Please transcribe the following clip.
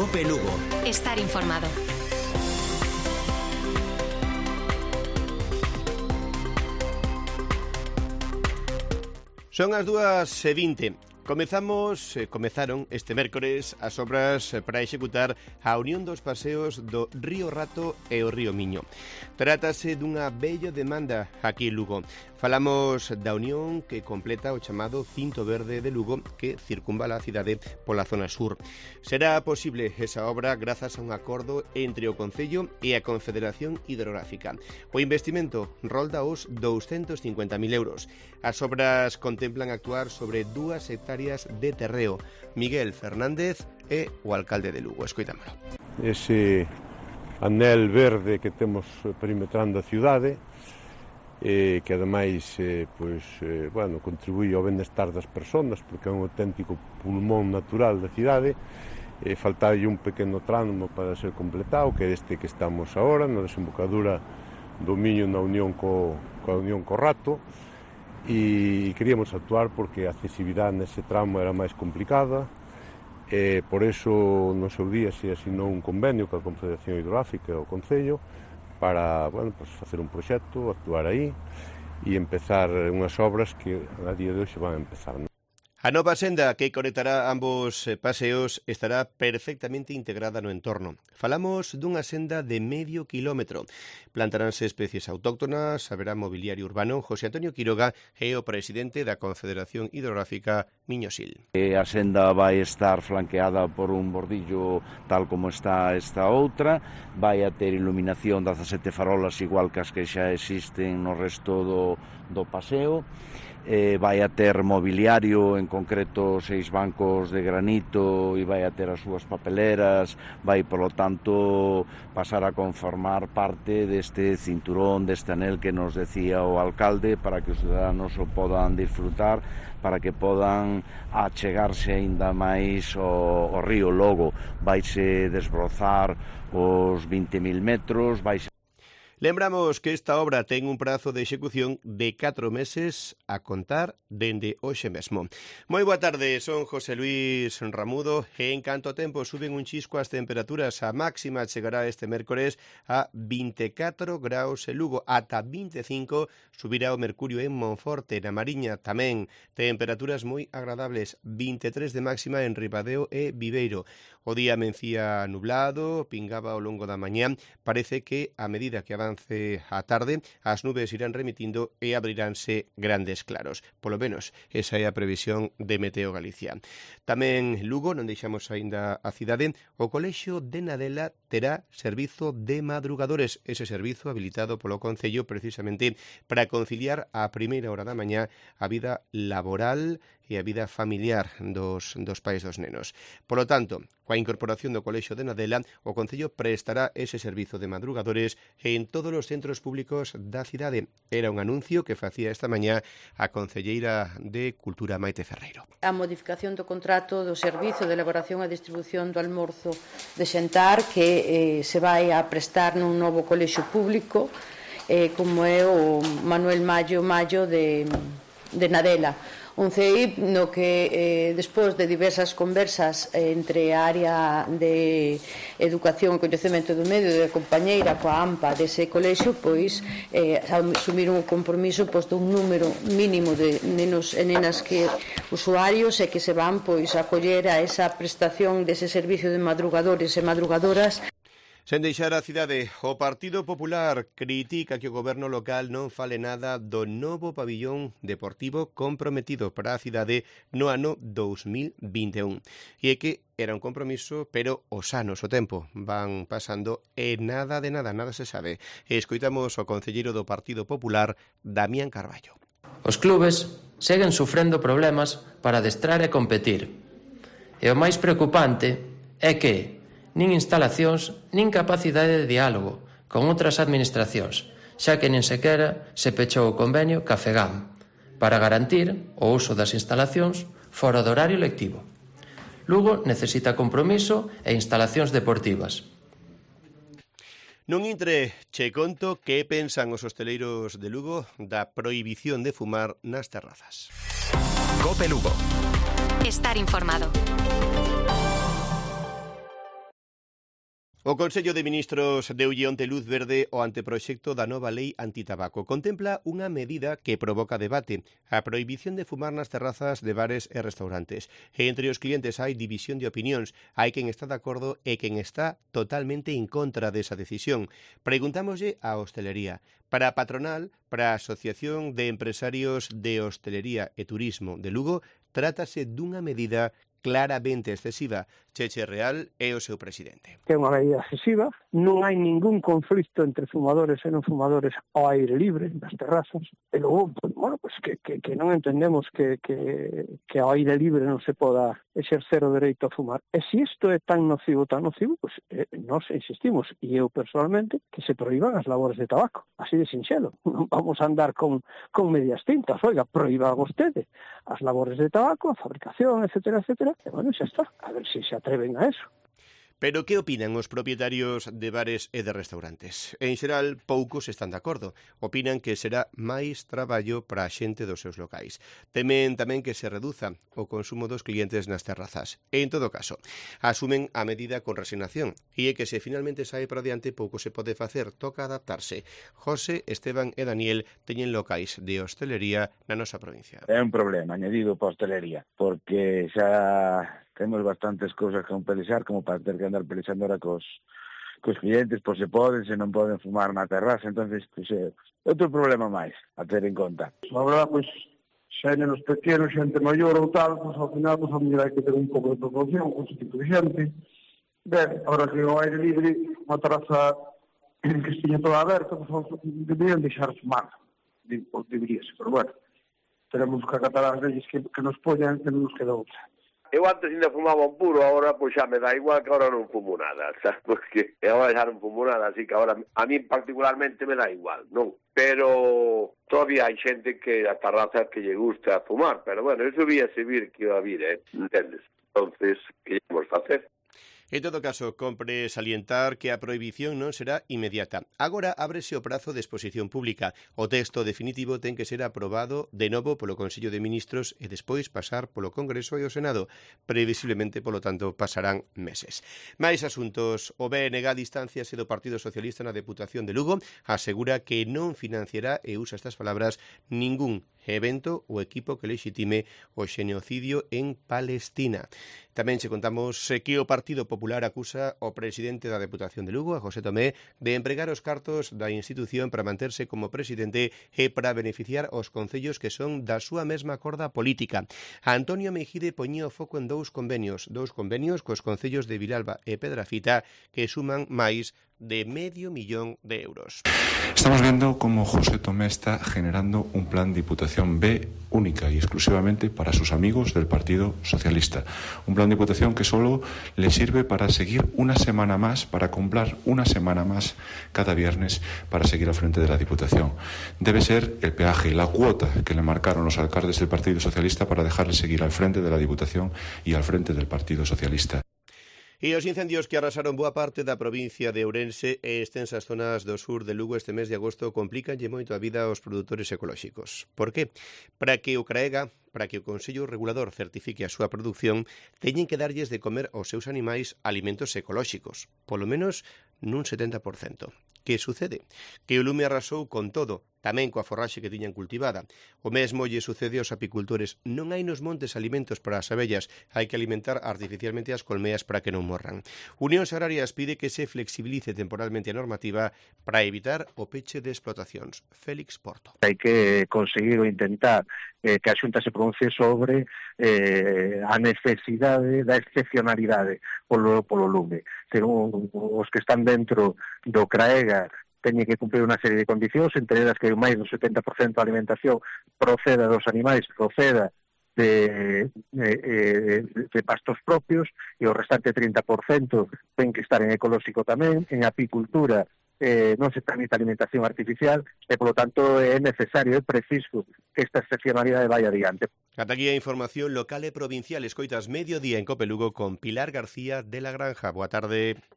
COPE Lugo. Estar informado. Son as 2:20. Comezaron este mércores as obras para executar a unión dos paseos do Río Rato e o Río Miño. Trátase dunha bella demanda aquí en Lugo. Falamos da unión que completa o chamado Cinto Verde de Lugo que circunvala a cidade pola zona sur. Será posible esa obra grazas a un acordo entre o Concello e a Confederación Hidrográfica. O investimento rolda os 250.000 euros. As obras contemplan actuar sobre 2 hectáreas de terreo. Miguel Fernández é o alcalde de Lugo. Escoitámolo. Ese anel verde que temos perimetrando a cidade, que ademais contribui ao benestar das persoas porque é un auténtico pulmón natural da cidade. Faltalle un pequeno tramo para ser completado, que é este que estamos agora, na desembocadura do Miño na unión coa unión co Rato, e queríamos actuar porque a accesibilidade nese tramo era máis complicada. Por iso no seu día se asinou un convenio coa Confederación Hidrográfica e o Concello para facer un proxecto, actuar aí e empezar unhas obras que a día de hoxe van a empezar. A nova senda que conectará ambos paseos estará perfectamente integrada no entorno. Falamos dunha senda de medio kilómetro. Plantaránse especies autóctonas, haberá mobiliario urbano. José Antonio Quiroga é o presidente da Confederación Hidrográfica Miño-Sil. A senda vai estar flanqueada por un bordillo tal como está esta outra, vai a ter iluminación 17 farolas igual que as que xa existen no resto do paseo. Vai a ter mobiliario, en concreto 6 bancos de granito, e vai a ter as súas papeleras, vai, polo tanto, pasar a conformar parte deste cinturón, deste anel que nos decía o alcalde, para que os ciudadanos o podan disfrutar, para que podan achegarse aínda máis ao río. Logo, vaise desbrozar os 20.000 metros, vaise... Lembramos que esta obra ten un prazo de execución de 4 meses a contar dende hoxe mesmo. Moi boa tarde, son José Luis Ramudo e en canto tempo suben un chisco as temperaturas. A máxima chegará este mércores a 24 graus en Lugo, ata 25 subirá o mercurio en Monforte, na Mariña tamén. Temperaturas moi agradables, 23 de máxima en Ribadeo e Viveiro. O día amencía nublado, pingaba ao longo da mañá. Parece que a medida que avance a tarde, as nubes irán remitindo e abriránse grandes claros. Polo menos, esa é a previsión de Meteo Galicia. Tamén Lugo, non deixamos aínda a cidade, o Colexio de Nadela terá servizo de madrugadores. Ese servizo habilitado polo Concello precisamente para conciliar a primeira hora da mañá a vida laboral e a vida familiar dos pais dos nenos. Polo tanto, coa incorporación do Colexio de Nadela, o Concello prestará ese servizo de madrugadores en todos os centros públicos da cidade. Era un anuncio que facía esta mañá a concelleira de Cultura, Maite Ferreiro. A modificación do contrato do servizo de elaboración e distribución do almorzo de xantar que se vai a prestar nun novo colexio público como é o Manuel Mallo de Nadela. Un CEIP no que despois de diversas conversas entre a área de Educación e Coñecemento do Medio e a compañeira coa AMPA dese colexio, pois asumiron o compromiso dun número mínimo de nenos e nenas que usuarios e que se van a acoller a esa prestación dese servicio de madrugadores e madrugadoras. Sen deixar a cidade, o Partido Popular critica que o goberno local non fale nada do novo pabillón deportivo comprometido para a cidade no ano 2021. E é que era un compromiso, pero os anos, o tempo, van pasando e nada se sabe. E escoitamos o concelleiro do Partido Popular, Damián Carballo. Os clubes seguen sufrendo problemas para adestrar e competir. E o máis preocupante é que nin instalacións, nin capacidade de diálogo con outras administracións, xa que nin sequera se pechou o convenio Cafegam para garantir o uso das instalacións fora do horario lectivo. Lugo necesita compromiso e instalacións deportivas. Nun intre, che conto que pensan os hosteleiros de Lugo da prohibición de fumar nas terrazas. COPE Lugo. Estar informado. O Consello de Ministros deulle onte luz verde ao anteproxecto da nova lei antitabaco. Contempla unha medida que provoca debate, a prohibición de fumar nas terrazas de bares e restaurantes. E entre os clientes hai división de opinións, hai quen está de acordo e quen está totalmente en contra desa decisión. Preguntámoslle á hostelería. Para a patronal, para a Asociación de Empresarios de Hostelería e Turismo de Lugo, trátase dunha medida claramente excesiva. Cheche Real é o seu presidente. Que é unha medida excesiva, non hai ningún conflito entre fumadores e non fumadores ao aire libre, nas terrazas, e logo, que non entendemos que ao aire libre non se poda exercer o dereito a fumar. E se isto é tan nocivo, nós insistimos, e eu personalmente, que se proíban as labores de tabaco, así de sinxelo. Non vamos a andar con medias tintas, oiga, proíba vostede as labores de tabaco, a fabricación, etcétera, etcétera, e bueno, xa está, a ver se atreven a eso. Pero que opinan os propietarios de bares e de restaurantes? En xeral, poucos están de acordo. Opinan que será máis traballo para a xente dos seus locais. Temen tamén que se reduza o consumo dos clientes nas terrazas. E, en todo caso, asumen a medida con resignación. E é que se finalmente sae para diante, pouco se pode facer, toca adaptarse. José, Esteban e Daniel teñen locais de hostelería na nosa provincia. É un problema añadido para a hostelería, porque xa temos bastantes cousas que pelexar, como para ter que andar pelexando ahora cos clientes, pois se poden, se non poden fumar na terraza, entonces é outro problema máis a ter en conta. Agora, pois, xa en os pequenos, xente maior ou tal, pois ao final, pois a mellor hai que ter un pouco de proporción con ese tipo de xente. Ben, agora que o aire libre, unha terraza que estiña toda aberta, pois deberían deixar fumar, deberíase, pero bueno, teremos que acatar as leyes que nos poñan, que non nos queda outra. Eu antes ainda fumaba un puro, agora pois xa me dá igual, que agora non fumo nada, sabes? Porque agora xa non fumo nada, así que agora a mí particularmente me dá igual, non? Pero todavía hai xente que a terraza que lle gusta fumar, pero bueno, eso víase vir que iba a vir, entendes? Entonces, que íamos facer? En todo caso, compre salientar que a prohibición non será inmediata. Agora ábrese o prazo de exposición pública. O texto definitivo ten que ser aprobado de novo polo Consello de Ministros e despois pasar polo Congreso e o Senado. Previsiblemente, polo tanto, pasarán meses. Máis asuntos. O BNG distanciase do Partido Socialista na Deputación de Lugo. Asegura que non financiará, e usa estas palabras, ningún evento ou equipo que lexitime o xenocidio en Palestina. Tamén se contamos que o Partido Popular acusa ao presidente da Deputación de Lugo, a José Tomé, de empregar os cartos da institución para manterse como presidente e para beneficiar os concellos que son da súa mesma corda política. Antonio Mejide poñía o foco en dous convenios cos concellos de Vilalba e Pedrafita que suman máis de €500,000. Estamos viendo cómo José Tomé está generando un plan Diputación B única y exclusivamente para sus amigos del Partido Socialista. Un plan Diputación que solo le sirve para seguir una semana más, para comprar una semana más cada viernes para seguir al frente de la Diputación. Debe ser el peaje, la cuota que le marcaron los alcaldes del Partido Socialista para dejarle seguir al frente de la Diputación y al frente del Partido Socialista. E os incendios que arrasaron boa parte da provincia de Ourense e extensas zonas do sur de Lugo este mes de agosto complicanlle moito a vida aos produtores ecolóxicos. Por que? Para que o Consello Regulador certifique a súa produción, teñen que darlles de comer aos seus animais alimentos ecolóxicos, polo menos nun 70%. Que sucede? Que o lume arrasou con todo, tamén coa forraxe que tiñan cultivada. O mesmo lle sucede aos apicultores. Non hai nos montes alimentos para as abellas, hai que alimentar artificialmente as colmeas para que non morran. Unións Agrarias pide que se flexibilice temporalmente a normativa para evitar o peche de explotacións. Félix Porto. Hai que conseguir ou intentar que a Xunta se pronuncie sobre a necesidade da excepcionalidade polo lume. Os que están dentro do CRAEGA teñen que cumprir unha serie de condicións, entre elas que máis do 70% da alimentación proceda dos animais, proceda de pastos propios, e o restante 30% ten que estar en ecolóxico tamén, en apicultura non se permite alimentación artificial e, polo tanto, é necesario, é preciso que esta excepcionalidade vai adiante. Ata aquí a información local e provincial. Escoitas Mediodía en Cope Lugo con Pilar García de la Granja. Boa tarde.